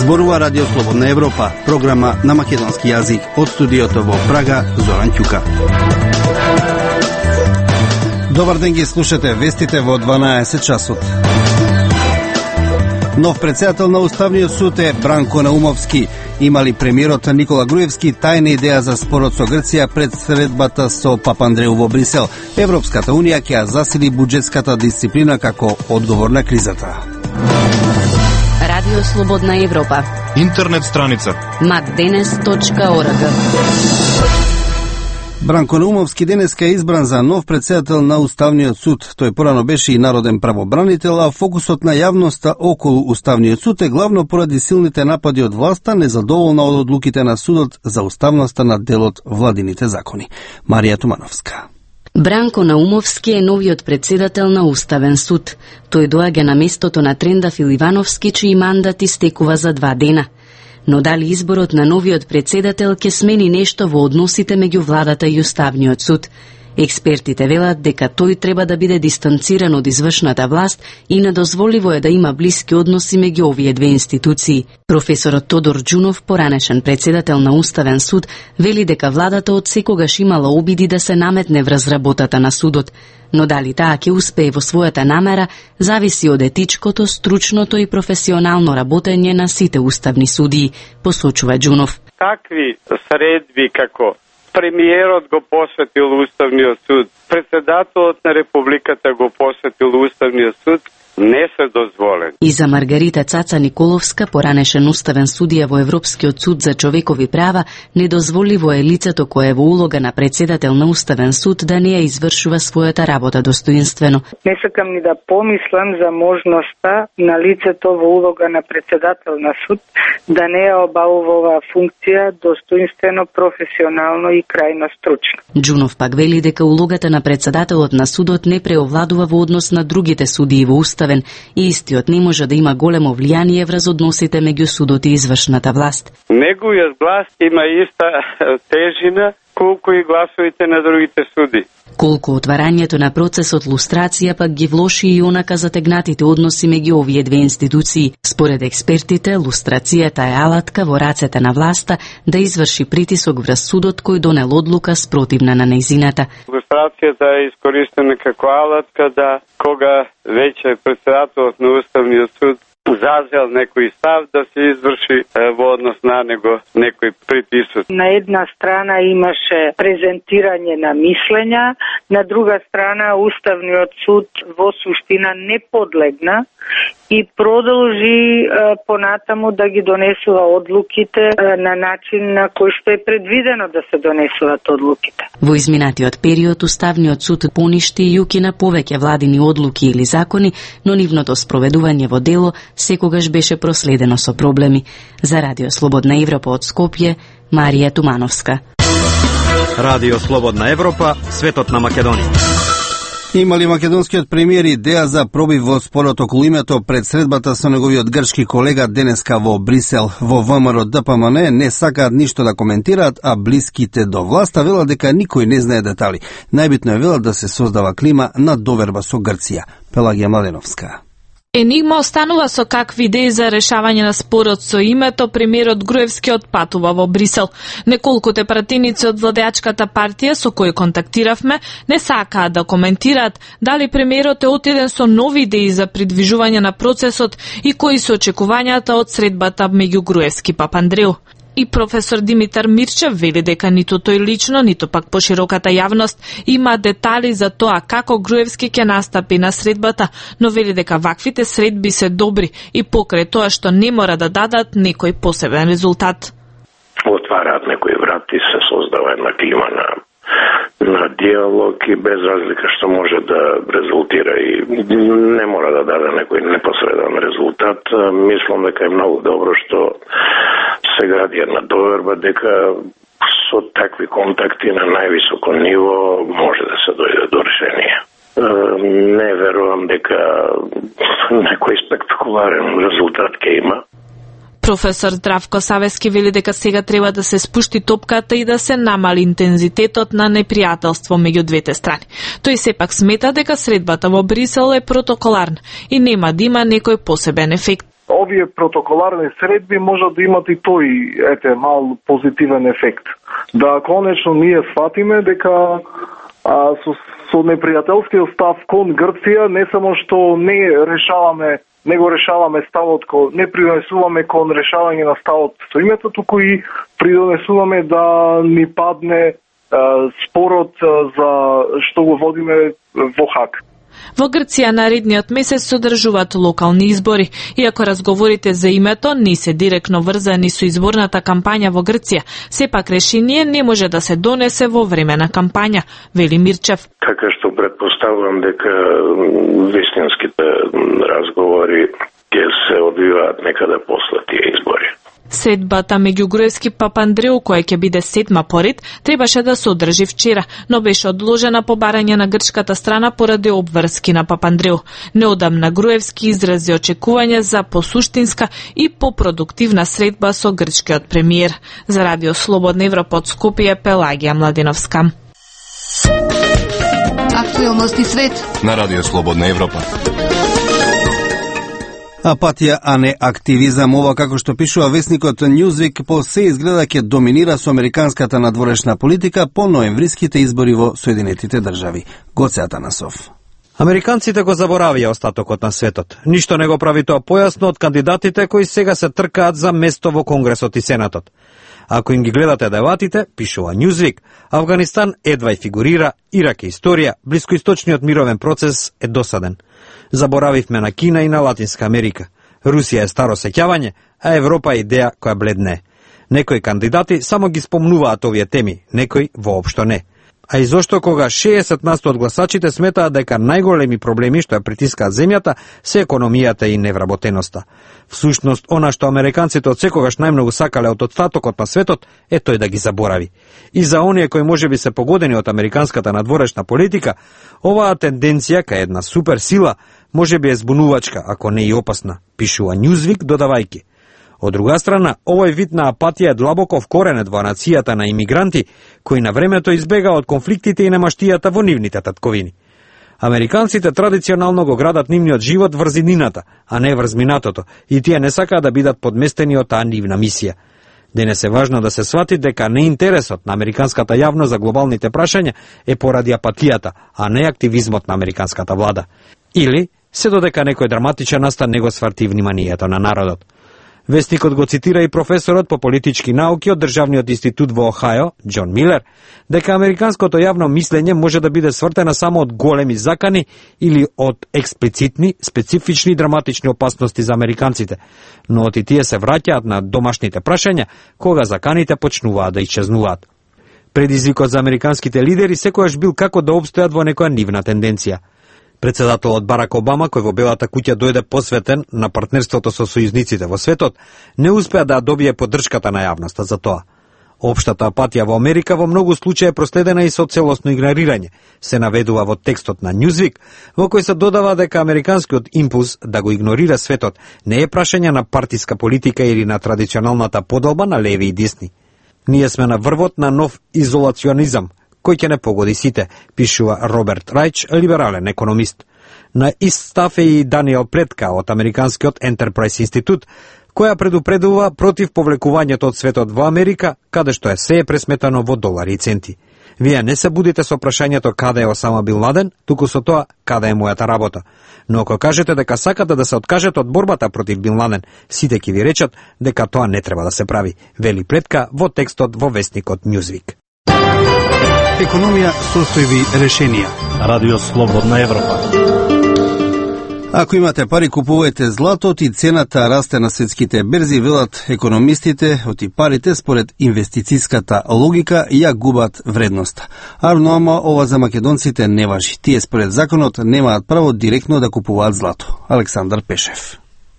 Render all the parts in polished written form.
Зборува Радио Слободна Европа, програма на македонски јазик. Од студиото во Прага, Зоран Ќука. Добар ден, ги слушате вестите во 12 часот. Нов председател на Уставниот суд е Бранко Наумовски. Имали премиерот Никола Груевски тајна идеја за спорот со Грција пред средбата со Папандреу во Брисел. Европската унија ќе ја засили буџетската дисциплина како одговор на кризата. Радио Слободна Европа. Интернет страница macdenes.org. Бранко Наумовски денеска е избран за нов председател на Уставниот суд. Тој порано беше и народен правобранител, а фокусот на јавноста околу Уставниот суд е главно поради силните напади од власта, незадоволна од одлуките на судот за уставноста на делот владините закони. Марија Тумановска. Бранко Наумовски е новиот председател на Уставен суд. Тој доаѓа на местото на Трендафил Ивановски, чиј мандат истекува за 2 дена. Но дали изборот на новиот председател ќе смени нешто во односите меѓу владата и Уставниот суд? Експертите велат дека тој треба да биде дистанциран од извршната власт и недозволиво е да има блиски односи меѓу овие две институции. Професорот Тодор Џунов, поранешен председател на Уставен суд, вели дека владата од секогаш имала обиди да се наметне врз работата на судот, но дали таа ќе успее во својата намера зависи од етичкото, стручното и професионално работење на сите уставни судии, посочува Џунов. Такви средби како премиерот го посветил Уставниот суд, председателот на Републиката го посветил Уставниот суд, не се дозволени. И за Маргарита Цаца Николовска, поранешен уставен судија во Европскиот суд за човекови права, недозволиво е лицето кое е во улога на председател на Уставен суд да не ја извршува својата работа достоинствено. Не сакам ни да помислам за можноста на лицето во улога на председател на суд да не ја обавува оваа функција достоинствено, професионално и крајно стручно. Џунов пак вели дека улогата на председателот на судот не преовладува во однос на другите судии во Уставен и истиот не може да има големо влијание врз односите меѓу судот и извршната власт. Неговиот глас има иста тежина колку и гласовите на другите суди. Колку отварањето на процесот лустрација пак ги влоши и онака затегнатите односи меѓу овие две институции. Според експертите, лустрацијата е алатка во рацете на власта да изврши притисок врз судот кој донел одлука спротивна на нејзината. Лустрацијата е искористена како алатка да кога веќе председателот на Уставниот суд зазел некој став да се изврши во однос на него некој притисок. На една страна имаше презентирање на мислења, на друга страна Уставниот суд во суштина не подлегна и продолжи понатаму да ги донесува одлуките на начин на кој што е предвидено да се донесуваат одлуките. Во изминатиот период Уставниот суд поништи и укина повеќе владини одлуки или закони, но нивното спроведување во дело секогаш беше проследено со проблеми. За Радио Слободна Европа од Скопје, Марија Тумановска. Радио Слободна Европа, светот на Македонија. Имали македонскиот премиер идеја за пробив во спорот околу името пред средбата со неговиот грчки колега денеска во Брисел. Во ВМРО ДПМН не сакаат ништо да коментираат, а блиските до власта велат дека никој не знае детали. Најбитно е велат да се создава клима на доверба со Грција. Пелагија Младеновска. Енигма останува со какви идеи за решавање на спорот со името. Премиерот Груевски отпатува во Брисел. Неколкуте пратеници од владеачката партија со кои контактиравме не сакаат да коментираат дали премиерот е отиден со нови идеи за придвижување на процесот и кои се очекувањата од средбата меѓу Груевски и Папандреу. И професор Димитар Мирчев вели дека ниту тој лично, ниту пак пошироката јавност има детали за тоа како Груевски ќе настапи на средбата, но вели дека ваквите средби се добри и покрај тоа што не мора да дадат некој посебен резултат. Отвараат некои врати, се создава една клима на диалог и без разлика што може да резултира и не мора да даде некој непосреден резултат. Мислам дека е многу добро што се гради една доверба дека со такви контакти на највисоко ниво може да се дојде до решение. Не верувам дека некој спектакуларен резултат ќе има. Професор Здравко Савески вели дека сега треба да се спушти топката и да се намали интензитетот на непријателство меѓу двете страни. Тој сепак смета дека средбата во Брисел е протоколарна и нема да има некој посебен ефект. овие протоколарни средби можат да имат и тој мал позитивен ефект. Да конечно ние сватиме дека со непријателскиот став кон Грција не само што не го решаваме ставот не придонесуваме кон решавање на ставот со името, туку и придонесуваме да ни падне спорот за што го водиме во Хаг. Во Грција наредниот месец се одржуваат локални избори. Иако разговорите за името не се директно врзани со изборната кампања во Грција, сепак решение не може да се донесе во време на кампања, вели Мирчев. Така што предпоставувам дека вистинските разговори ќе се одвиваат некаде после тие избори. Средбата меѓу Груевски и Папандреу, која ќе биде 7-ма поред, требаше да се одржи вчера, но беше одложена по барање на грчката страна поради обврски на Папандреу. Неодамна Груевски изрази очекување за посуштинска и попродуктивна средба со грчкиот премиер. За Радио Слободна Европа од Скопје, Пелагија Младеновска. Актуелности свет на Радио Слободна Европа. Апатија, а не активизам, ова како што пишува весникот Newsweek, по се изгледа ќе доминира со американската надворешна политика по ноемвриските избори во Соединетите држави. Гоце Атанасов. Американците го заборавија остатокот на светот. Ништо не го прави тоа појасно од кандидатите кои сега се тркаат за место во Конгресот и Сенатот. Ако им ги гледате дебатите, пишува Newsweek, Авганистан едва и фигурира, Ирак е историја, блискоисточниот мировен процес е досаден. Заборавивме на Кина и на Латинска Америка. Русија е старо сеќавање, а Европа е идеја која бледне. Некои кандидати само ги спомнуваат овие теми, некои воопшто не. А и зошто кога 60% од гласачите сметаат дека најголеми проблеми што ја притискаат земјата се економијата и невработеноста. Всушност, она што американците од секогаш најмногу сакале од остатокот на светот е тој да ги заборави. И за оние кои можеби се погодени од американската надворешна политика, оваа тенденција кај една суперсила можеби е збунувачка, ако не и опасна, пишува Newsweek додавајки. Од друга страна, овој вид на апатија е длабоко вкоренет во нацијата на имигранти, кои на времето избега од конфликтите и немаштијата во нивните татковини. Американците традиционално го градат нивниот живот врз иднината, а не врз минатото, и тие не сакаат да бидат подместени од таа нивна мисија. Денес е важно да се свати дека не интересот на американската јавност за глобалните прашања е поради апатијата, а не активизмот на американската влада. Или се додека некој драматичен настан не го сврти вниманието на народот. Вестникот го цитира и професорот по политички науки од Државниот институт во Охајо, Џон Милер, дека американското јавно мислење може да биде свртена само од големи закани или од експлицитни, специфични драматични опасности за американците, но оти тие се враќаат на домашните прашања кога заканите почнуваат да исчезнуваат. Предизвикот за американските лидери секојаш бил како да обстојат во некоја нивна тенденција. Председателот Барак Обама, кој во Белата куќа дојде посветен на партнерството со сојузниците во светот, не успеа да добие поддршката на јавноста за тоа. Општата апатија во Америка во многу случаи е проследена и со целосно игнорирање, се наведува во текстот на Newsweek, во кој се додава дека американскиот импулс да го игнорира светот не е прашање на партиска политика или на традиционалната поделба на леви и десни. Ние сме на врвот на нов изолационизам, кој ќе не погоди сите, пишува Роберт Рајч, либерален економист. На ист став е и Даниел Плетка од Американскиот Enterprise Институт, која предупредува против повлекувањето од светот во Америка, каде што се е пресметано во долари и центи. Вие не се будите со прашањето каде е Осама Бин Ладен, туку со тоа каде е мојата работа. Но ако кажете дека сакате да се откажете од борбата против Бин Ладен, сите ќе ви речат дека тоа не треба да се прави, вели Плетка во текстот во вестникот Newsweek. Економија, состојби, решенија. Радио Слободна Европа. Ако имате пари, купувајте злато, и цената расте на светските берзи, велат економистите, оти парите според инвестицијската логика ја губат вредноста. Ама ова за македонците не важи. Тие според законот немаат право директно да купуваат злато. Александар Пешев.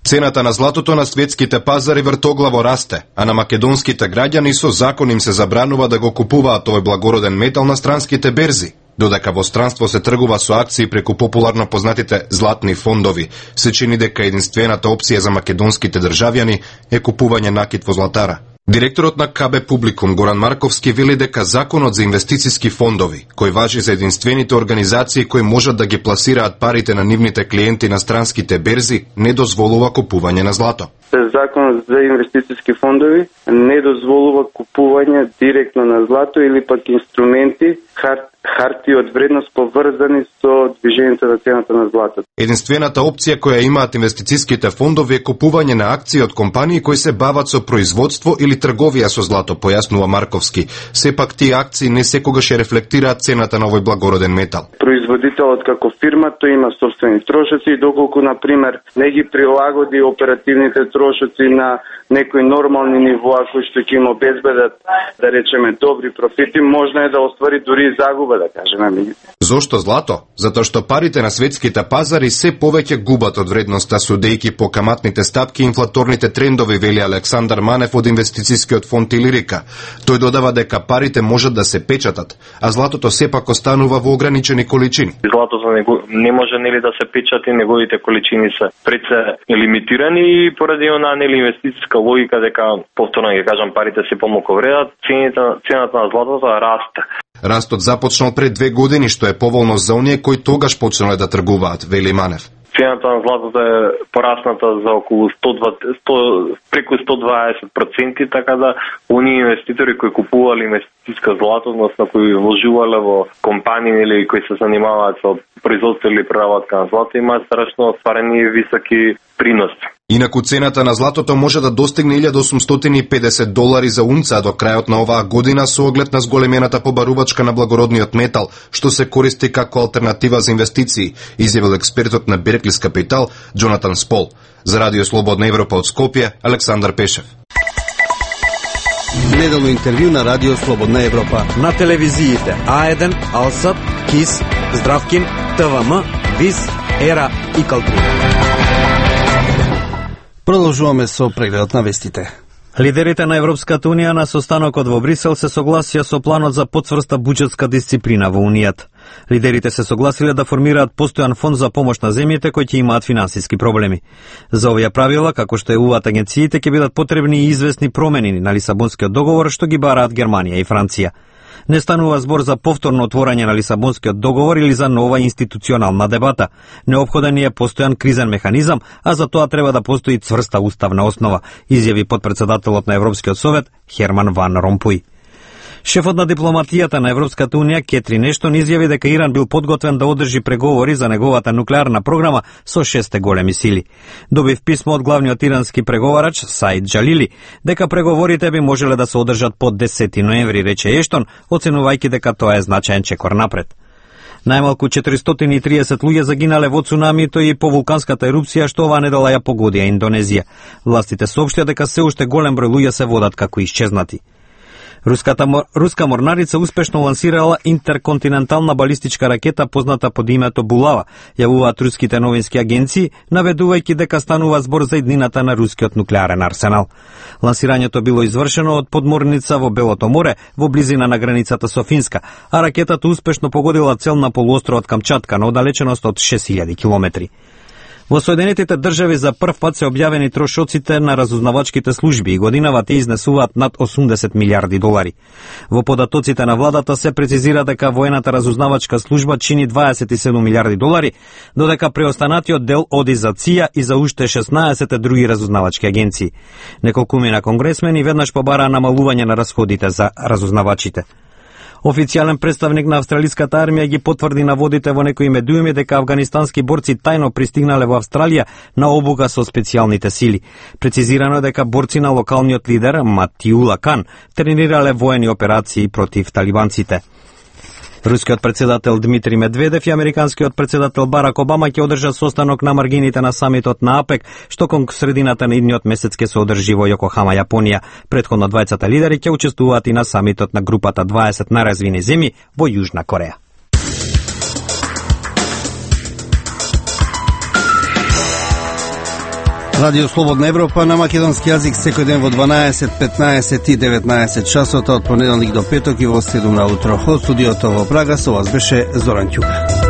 Цената на златото на светските пазари вртоглаво расте, а на македонските граѓани со закон им се забранува да го купуваат овој благороден метал на странските берзи. Додека во странство се тргува со акции преку популарно познатите златни фондови, се чини дека единствената опција за македонските државјани е купување накит во златара. Директорот на КБ Публикум Горан Марковски вели дека законот за инвестициски фондови, кој важи за единствените организации кои можат да ги пласираат парите на нивните клиенти на странските берзи, не дозволува купување на злато. Законот за инвестициски фондови не дозволува купување директно на злато или пак инструменти, хартии од вредност поврзани со движењето на цената на злато. Единствената опција која имаат инвестициските фондови е купување на акции од компании кои се бават со производство или трговија со злато, појаснува Марковски. Сепак тие акции не секогаш рефлектираат цената на овој благороден метал. Производителот како фирма тој има собствени трошоци и доколку на пример не ги прилагоди оперативните трошоци на некои нормални нивоа кои што ќе им обезбедат, да речеме, добри профити, можно е да оствари дури загуба, да кажеме. Зошто злато? Затоа што парите на светските пазари се повеќе губат од вредноста судејќи по каматните стапки и инфлаторните трендови, вели Александар Манев од инвестицискиот фонд Илирика. Тој додава дека парите можат да се печатат, а златото сепак останува во ограничени количини. Златото не може нели да се печати, неговите количини се предсе лимитирани и поради онаа нели инвестициска логика дека повторно ќе кажам парите се помалку вредат, цената на златото расте. Растот започнал пред 2 години, што е поволно за оние кои тогаш почнале да тргуваат, вели Манев. Цената на златото е порасната за околу преку 120%, така да оние инвеститори кои купувале инвестициска злато, односно кои вложувале во компании или кои се занимаваат со производство или преработка на злато, имаат страшно остварени високи приноси. Инаку цената на златото може да достигне $1.850 за унца до крајот на оваа година со оглед на зголемената побарувачка на благородниот метал, што се користи како алтернатива за инвестиции, изјавил експертот на Берклис Капитал Джонатан Спол. За Радио Слободна Европа од Скопје, Александар Пешев. Неделно интервју на Радио Слободна Европа. На телевизиите А1, Алсат, КИС, Здравкин, ТВМ, ВИС, ЕРА и Калтри. Продолжуваме со прегледот на вестите. Лидерите на Европската Унија на состанокот во Брисел се согласија со планот за потврста буџетска дисциплина во Унијата. Лидерите се согласиле да формираат постојан фонд за помош на земјите кои ќе имаат финансиски проблеми. За овие правила, како што евуваат агенциите, ќе бидат потребни и известни промени на Лисабонскиот договор што ги бараат Германија и Франција. Не станува збор за повторно отворање на Лисабонскиот договор или за нова институционална дебата. Неопходен е постојан кризен механизам, а за тоа треба да постои цврста уставна основа, изјави потпредседателот на Европскиот совет Херман Ван Ромпуј. Шефот на дипломатијата на Европската Унија Кетрин Ештон изјави дека Иран бил подготвен да одржи преговори за неговата нуклеарна програма со 6 големи сили. Добив писмо од главниот ирански преговарач Саид Джалили дека преговорите би можеле да се одржат под 10 ноември, рече Ештон, оценувајќи дека тоа е значаен чекор напред. Најмалку 430 луѓе загинале во цунамито и по вулканската ерупција што оваа недела ја погодија Индонезија. Властите соопштија дека се уште голем број луѓе се водат како исчезнати. Руска морнарица успешно лансирала интерконтинентална балистичка ракета позната под името Булава, јавуваат руските новински агенции, наведувајќи дека станува збор за иднината на рускиот нуклеарен арсенал. Лансирањето било извршено од подморница во Белото море, во близина на границата со Финска, а ракетата успешно погодила цел на полуостровот Камчатка на оддалеченост од 6000 километри. Во Соединетите држави за прв пат се објавени трошоците на разузнавачките служби и годинава те изнесуваат над $80 милиарди. Во податоците на владата се прецизира дека воената разузнавачка служба чини $27 милиарди, додека преостанатиот дел оди за ЦИА и за уште 16 други разузнавачки агенции. Неколкумина конгресмени веднаш побараа намалување на расходите за разузнавачите. Официјален представник на австралиската армија ги потврди наводите во некои медиуми дека афганистански борци тајно пристигнале во Австралија на обука со специјалните сили. Прецизирано е дека борци на локалниот лидер Матиула Кан тренирале воени операции против талибанците. Рускиот председател Дмитрий Медведев и американскиот председател Барак Обама ќе одржат состанок на маргините на самитот на АПЕК, што кон средината на идниот месец ќе се одржи во Јокохама, Јапонија. Претходно двајцата лидери ќе учествуваат и на самитот на групата 20 најразвини земји во Јужна Кореја. Радио Слободна Европа на македонски јазик секој ден во 12, 15 и 19 часот од понеделник до петок и во 7 на утро. Од студиото во Прага со вас беше Зоран Ќука.